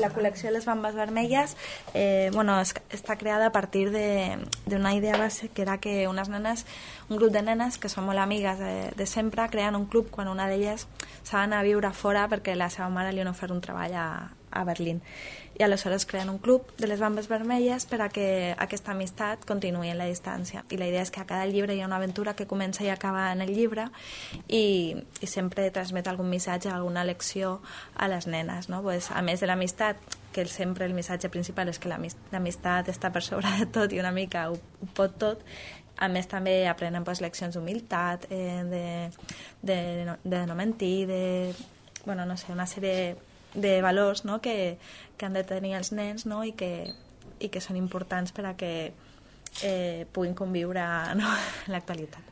la col·lecció de les Bambes Vermelles està creada a partir d'una idea base, que era que un grup de nenes que són molt amigues de sempre creen un club quan una d'elles s'ha d'anar a viure fora perquè la seva mare li ha ofert un treball a Berlín. I aleshores creen un club de les Bambes Vermelles per a que aquesta amistat continuï en la distància. I la idea és que a cada llibre hi ha una aventura que comença i acaba en el llibre i sempre transmet algun missatge, alguna lecció a les nenes, no? Pues, a més de l'amistat, que sempre el missatge principal és que l'amistat està per sobre de tot i una mica ho pot tot, a més també aprenen leccions d'humilitat, de no mentir, una sèrie de valors, no? que han de tenir els nens, no? I que són importants per a que puguin conviure, no? en l'actualitat.